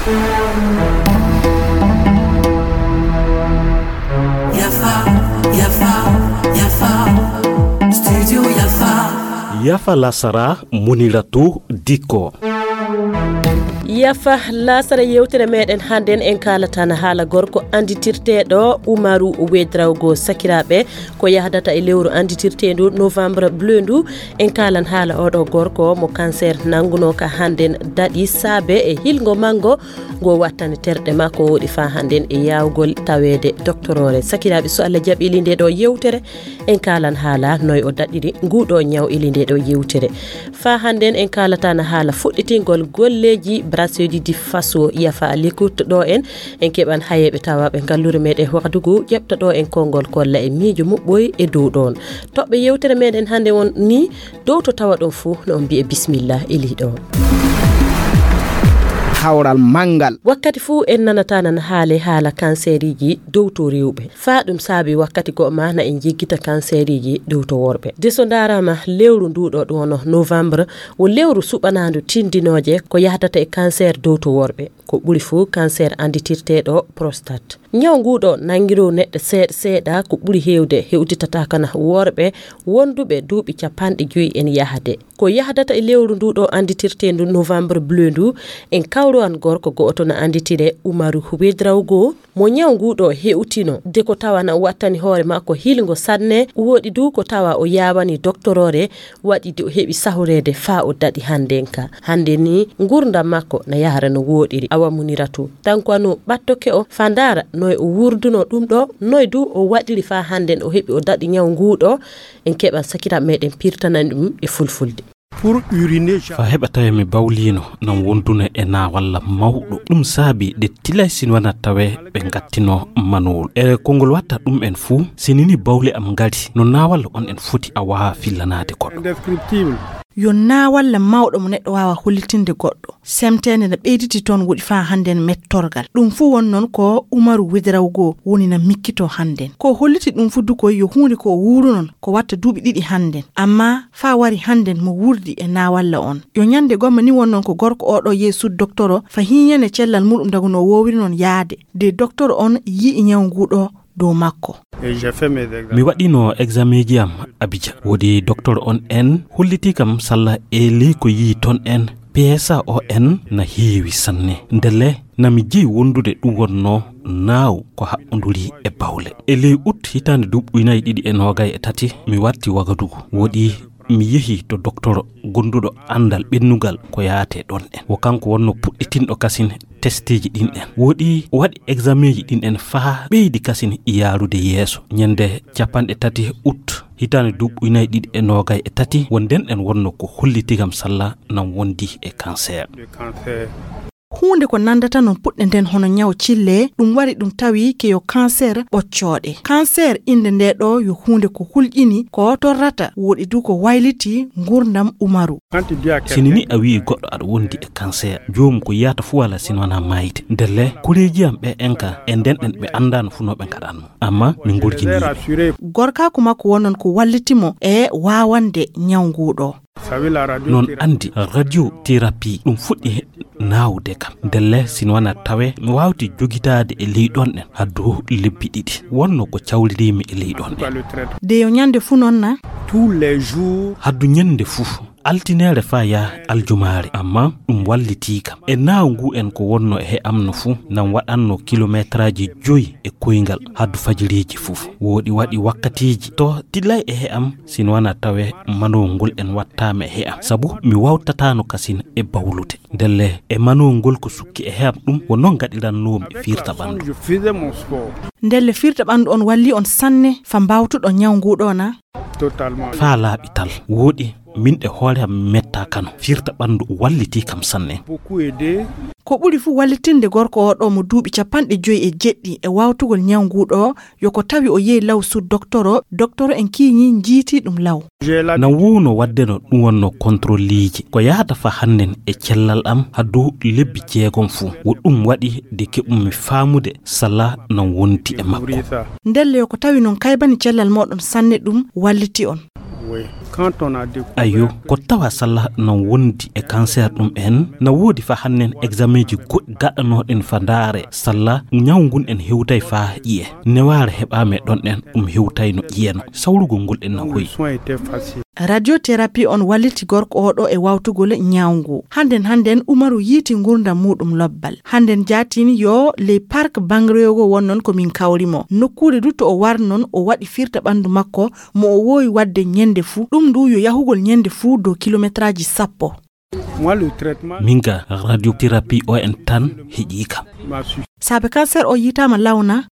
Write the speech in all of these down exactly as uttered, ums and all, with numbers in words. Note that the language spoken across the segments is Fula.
Yafa, yafa, yafa. Studio yafa. Yafa lasara, Muniratu Diko. Yafa lasara, yewtere meɗen hannden en kaalatana haala gorko annditirteeɗo Umaru Wedrawgo. Sakiraaɓe, ko yahdata e lewru annditirteendu novembre bleu ndu, en kaalan haala oɗo gorko mo cancer nanngunoo ka hannden daɗi saabe e hilngo manngo ngo wattani terɗe makko woɗi faa hannden e yaawgol taweede doktoroore. Sakiraaɓe, so Allah jaɓi ili nde ɗo yewtere, en kaalan haala noy o daɗɗiri nguɗo ñaw ili nde ɗo yewtere. Faa hannden en kaalatana haala fuɗɗitingol golleeji Brasserie du Faso. Yafa l'écoute ɗo en, en keɓan hayeeɓe tawaaɓe ngallure meɗen Wagadugu ƴeɓta ɗo en konngol kolla e miijo muɓɓoy e dow ɗoon. Toɓɓe yewtere meɗen hannde on ni, dow to tawa ɗon fuu no on mbi'e bismillah e leydi ɗo. Hawral manngal. Wakkati fuu en nanata nana haale haala kanseeriiji dow to rewɓe. Faa ɗum saabi wakkati go'o ma na en jiggita kanseeriiji dow to worɓe. De so ndaaraama lewru ndu ɗo ɗum wonno novembre, wo lewru suɓanaandu tindinooje ko yahdata e kanseer dow to worɓe. Ko ɓuri fuu kanseer annditirteeɗo prostate. Ñaw nguɗo nanngiroo neɗɗo seeɗa seeɗa, ko ɓuri heewde hewtitata kana worɓe wonduɓe duuɓi capanɗe joyi en yahde. Ko yahdata e lewru ndu ɗo annditirteendu novembre bleu ndu, en kawrowan gorko go'oto na annditire Umaru Wedrawgo, mo ñaw nguɗo hewtino. De ko tawa na wattani hoore makko hilngo sanne, woɗi du ko tawa o yaawani doktoroore, waɗi de o heɓi sahureede faa o daɗi hannden ka. Hannde ni ngurdam makko na yahra no wooɗiri. Awa Muniratu, tankwano ɓattoke o faa ndaara noy o wurduno ɗum ɗo, noy du o waɗiri faa hannden o heɓi o daɗi ñaw nguɗo. En keɓan sakiraaɓe meɗen pirtanani ɗum e fulfulde. Pour uriner, faa heɓa tawi mi bawliino nan wonduno e naawalla mawɗo. Ɗum saabi de tilay sin wona tawe ɓe ngattino manowol. E ko ngol watta ɗum en fuu, sinini bawle am ngari no naawalla on en foti a waawa fillanaade goɗɗo. Indescriptible. Yo naawalla mawɗo mo neɗɗo waawa hollitinde goɗɗo. Semteende na ɓeyditi toon woɗi faa hannden mettorgal. Ɗum fuu won noon ko Umaru Wedrawgo woni na mikkito hannden. Ko holliti ɗum fuu dukoy yo huunde ko o wuuru noon ko watta duuɓi ɗiɗi hannden. Amma faa wari hannden mo wurdi e naawalla on. Yo ñande gomma ni won noon ko gorko oɗo yehi sud doktoro fa hiñene cellal muɗum dago no woowiri noon yaade. De doktoro on yi'i ñaw nguɗo dow makko. Mi waɗino exameeji am Abidjan. Woodi doktor on en hollitii kam salla e ley ko yii ton en. P S A o en na heewi sanne. Ndelle na mi jeyi wondude ɗum wonno naaw ko haɓɓonduri e bawle. E ley ut hitaande duuɓi ujunaaji ɗiɗi e noogay e tati, mi warti Wagadugu. Woodi mi yehi to doktoro gonduɗo anndal ɓennugal ko yaate ɗon en. Wo kanko wonno puɗɗitinɗo kasin testeeji ɗin en. Woodi o waɗi exameeji ɗin en faa ɓeydi kasin yaarude yeeso. Ñande capanɗe tati ut hitaande duuɓi ujunaaji ɗiɗi e noogay e tati, wonɗen en wonno ko holliti kam salla nan wondi e kanseer. Huunde ko nanndata noon puɗɗe nden hono ñaw cille, ɗum wari ɗum tawi ke yo kanseer ɓoccooɗe. Kanseer innde nde ɗo yo huunde ko hulƴini, ko torrata, woɗi du ko wayliti ngurdam Umaru. Sini ni a wi'i goɗɗo aɗa wondi e kanseer, joomum ko yiyata fuu alaa sino wonaa maayde. Ndelle, koreeji am ɓe en ka e nden ɗen ɓe anndaano fuu no ɓe ngaɗanno. Amma min ngurjini ɓe. Gorkaaku makko won noon ko walliti mo e waawande ñaw nguu ɗo. Non anndi radiothérapie ɗum fuɗɗi naawde kam. Ndelle sino wonaa tawe mi waawti jogitaade e ley ɗon ɗen haddu lebbi ɗiɗi. Wonno ko cawliriimi e ley ɗon ɗen. De yo ñande fuu noon na? Tous les jours. Haddu ñande fuu. Altineere faa yaa aljumaare, amma ɗum wallitii kam. E naaw ngu en ko wonno e he am no fuu, nan waɗanno kilometraaji joyi e koyngal haddu fajiriiji fuu. Woɗi waɗi wakkatiiji to tilay e he am, sino wonaa tawe manowol ngol en wattaama e he am. Sabu mi wawtataano kasin e bawlude. Ndelle e manowol ngol ko sukki e he am ɗum, wo non ngaɗirannoomi e firta ɓanndu. Ndelle firta ɓanndu on walli on sanne fa mbawtuɗo ñaw ngu ɗo na? Faa laaɓi tal. Woɗi min e hoore am mi mettaa kano. Firta ɓanndu wallitii kam sanne. Ko ɓuri fuu wallitinde gorko o ɗo mo duuɓi capanɗe joyi e jeɗɗi e wawtugol ñaw ngu ɗo, yo ko tawi o yehi law sud doktoro, doktoro en kiiñi njiiti ɗum law. Nan wuuno waɗde no ɗum wonno kontrolliiji. Ko yahata fa hannden e cellal am haddu lebbi jeegom fuu. Wo ɗum waɗi de keɓumi faamude sala nan wondi e makko. Ndelle yo ko tawi non kaybani cellal moɗon sanne ɗum walliti on. Ayo, ko tawa salla non wondi e cancer ɗum en, na woodi fa hannen examen ji goɗɗi gaɗanooɗen fa ndaare salla ñaw ngun en hewtay fa ƴiye. Newaare heɓaama e ɗon ɗen ɗum hewtayno ƴiyeno. Sawrugol ngol en na hoyi. Radiothérapie on walliti gorko oɗo e wawtugol ñaw ngu. Hannden hannden Umaru yiiti ngurdam muɗum lobbal. Hannden jaatin yo ley park bangrewgo wonnon ko min kawri mo. Nokkuure du to o warnon o waɗi firta ɓandu makko mo o woowi waɗde ñande fuu, ɗum ndu yo yahugol ñande fuu dow kilometraaji sappo. Min ga radiothérapie o en tan heƴii kam. Saabe cancer o yiitaama lawna.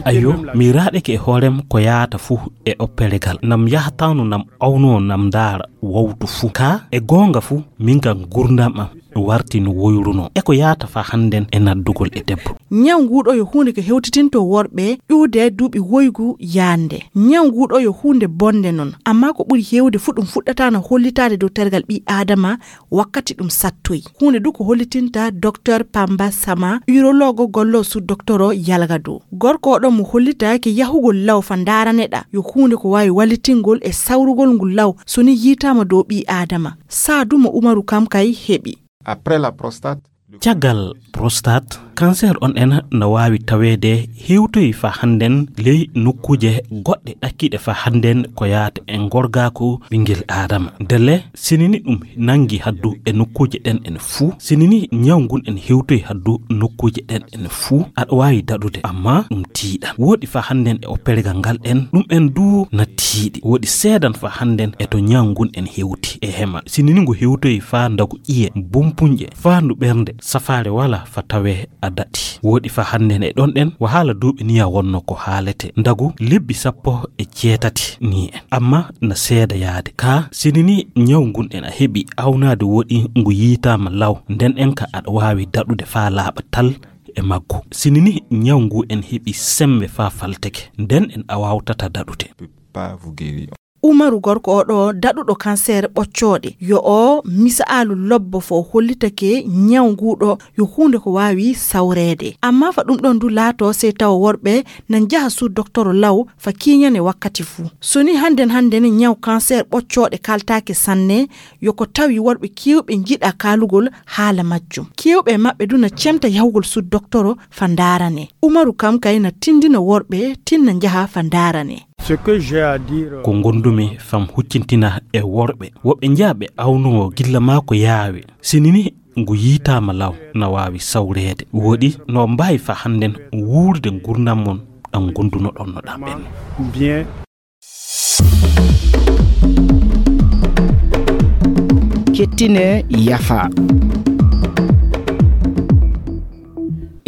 Ayo, mi raaɗeke e hoorem ko yaata fuu e opperegal. Nam yahatano nam awno nam ndaara wawtu fuu. Ka e goonga fuu, min ga ngurdam am warti no woyruno. E ko yaata fa hannden e naddugol e debbo. Ñaw nguɗo yo huunde ko hewtitinto worɓe ƴuude duuɓi woygu yaande. Ñaw nguɗo yo huunde bonde non, amma ko ɓuri heewde fuu ɗum fuɗɗata no hollitaade dow tergal ɓii Aadama wakkati ɗum sattoyi. Huunde du ko hollitinta Docteur Pamba Sama, urologue gollo su doktoro Yalgado. Gorko oɗo mo hollitaaki yahugol law fa ndaaraneɗa yo huunde ko waawi wallitingol e sawrugol ngol law so ni yiitaama dow ɓii Aadama. Saadu mo Umaru kam kay heɓi. Après la prostate, caggal prostate, cancer on en na waawi taweede hewtoyi fa hannden ley nokkuuje goɗɗe ɗakkiɗe fa hannden ko yaata e ngorgaaku ɓinngel Aadama. Ndelle, sinini ɗum nanngi haddu e nokkuuje ɗen en fuu, sinini ñaw ngun en hewtoyi haddu nokkuuje ɗen en fuu, aɗa waawi daɗude, amma ɗum tiiɗan. Wooɗi fa hannden e opperegal ngal ɗen, ɗum en duu na tiiɗi. Wooɗi seedan fa hannden e to ñaw ngun en hewti e hema. Sinini ngu hewtoyi fa ndagu ƴiye, bumpunƴe, faandu ɓernde, safaare wala fa tawee a daɗi. Wooɗi fa hannden e ɗon ɗen, wa haala duuɓi niya wonno ko haalete. Ndagu lebbi sappo e jeetati ni en. Amma na seeda yaade. Ka sinini ñaw ngun en a heɓi awnaade wooɗi ngu yiitaama law. Nden en ka aɗa waawi daɗude fa laaɓa tal e maggu. Sinini ñaw ngu en heɓi sembe fa falteke. Nden en a waawtata daɗude. Umaru gorko oɗo daɗuɗo cancer ɓoccooɗe. Yo o misaalu lobbo fo hollitake ñaw nguɗo yo huunde ko waawi sawreede. Amma fa ɗum ɗon du laato sey tawa worɓe na njaha su doktoro law fa kiiñane wakkati fuu. So ni hannden hannden ñaw cancer ɓoccooɗe kaltaake sanne, yo ko tawi worɓe keewɓe njiɗa kaalugol haala majjum. Keewɓe e maɓɓe du na cemta yahugol su doktoro fa ndaarane. Umaru kam kay na tindina worɓe tinna njaha fa ndaarane. Ce que j'ai à dire, ko ngondumi fam huccintina e worɓe. Woɓɓe njeya ɓe awnowo gilla maa ko yaawi. Sinini ngu yiitaama law na waawi sawreede. Wooɗi no mbaawi fa hannden wuurde ngurdam mon ɗam ngondunoɗon no ɗam ɓen. Bien. Kettine yafa.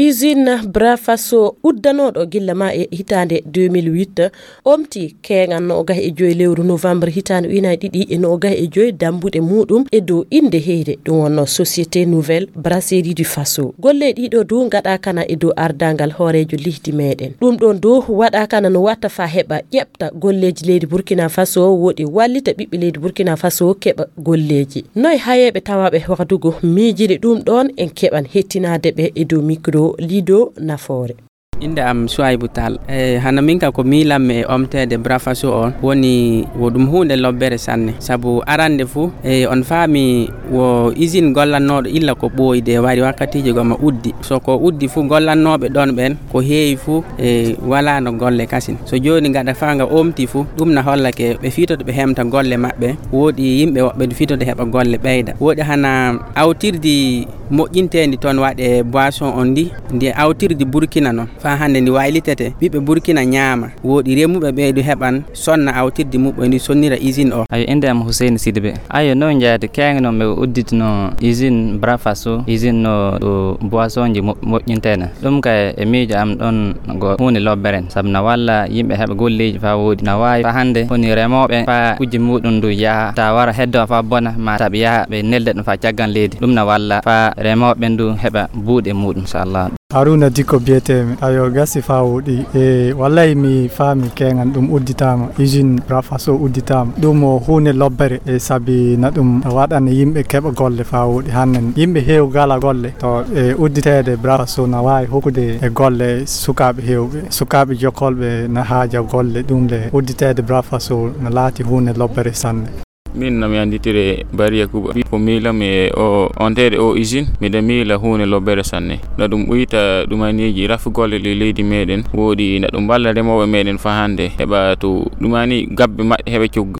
Usine Brafaso uddanooɗo gilla ma e hitaande deux mille huit omti keeŋan no o gahi e joyi lewru novembre hitaande ujunaaji ɗiɗi e no o gahi e joyi dambuɗe muɗum e dow innde heyre ɗum wonno Société Nouvelle Brasserie du Faso. Golle ɗiɗo dow gaɗa kana e dow ardangal hooreejo lihdi meɗen. Ɗum ɗon dow waɗa kana no watta fa heɓa ƴeɓta golleeji leydi Burkina Faso woɗi wallita ɓiɓɓe leydi Burkina Faso keɓa golleeji. Noy hayeeɓe tawaɓe waɗugo miijiri ɗum ɗon en keɓan hettinaade ɓe e dow micro Lido Nafoore. Innde am Suwaybu Taal. E, hano min ka ko miilanmi e omteede Brafaso on woni wo ɗum huunde lobbere sanne. Sabu arande fuu, e, on faami wo usine gollannooɗo illa ko ɓooyi de wari wakkatiiji goma uddi. So ko uddi fuu gollannooɓe ɗon ɓen ko heewi fuu, e, walaano golle kasin. So jooni gaɗa faa nga omti fuu, ɗum na hollake ɓe fiitoto ɓe hemta golle maɓɓe. Wooɗi yimɓe woɓɓe du fiitoto heɓa golle ɓeyda. Wooɗi hana awtirdi moƴƴinteendi toon waɗe boisson on ndi, ndi awtirdi Burkina noon. Faa hannde ndi waylitete, ɓiɓɓe Burkina ñaama. Wooɗi remuɓe ɓeydu heɓan sonna awtirdi muɓɓe ndi sonnira usine o. Ayo, innde am Huseyni Sidibe. Ayo, noon njaadi keeŋno mi udditno usine Brafaso, usine no ɗo boisson ji mo-, moƴƴinteene. Ɗum kay e miijo am ɗon ko huunde lobbere, sabu na walla yimɓe heɓa golleeji faa wooɗi. Na waawi faa hannde woni remooɓe faa kujje muɗum ndu yaha, ta wara heddo faa bona, ma taɓe yaha ɓe nelda ɗum faa caggan leydi. Ɗum na walla faa remooɓe ndu heɓa buuɗe muɗum, inchallah. Haruna Diko biyeteemi. Ayo, gasi faa wooɗi. E, wallay mi faami keeŋan ɗum udditaama. Usine Brafaso udditaama. Ɗum o huunde lobbere. E, sabi na ɗum waɗana yimɓe keɓa golle faa wooɗi. Hannen yimɓe heew gala golle. To, e, udditeede Brafaso na waawi hokkude e golle sukaaɓe heewɓe. Sukaaɓe jokkolɓe na haaja golle. Ɗum le udditeede Brafaso na laati huunde lobbere sanne. Min na mi annditire Bariya Kuba. Ko miila mi e o, onteede o usine, miɗa miila huunde lobbere sanne. Na ɗum uyta ɗumaniiji rafi golle ɗi leydi meɗen, wooɗi na ɗum mballa remooɓe meɗen faa hannde, heɓa to ɗumani gabbe maɓɓe heɓa coggu.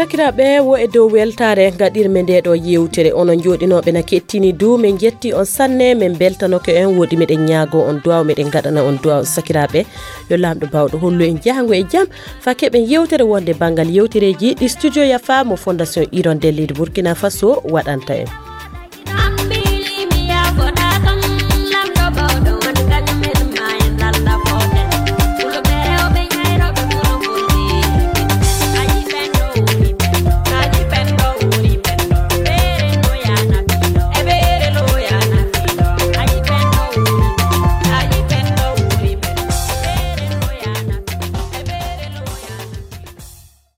Sakiraaɓe, wo e dow weltaare ngaɗirmi nde ɗo yewtere. Onon jooɗinooɓe na kettini du, min njetti on sanne, min mbeltanoke en, woodi meɗen ñaago on duwaaw, meɗen ngaɗana on duwaaw. Sakiraaɓe, yo Laamɗo baawɗo hollu en jahango e jam, faa keɓen yewtere wonde banngal yewtereeji ɗi Studio Yafa mo Fondation Hirondelle leydi Burkina Faso waɗanta en.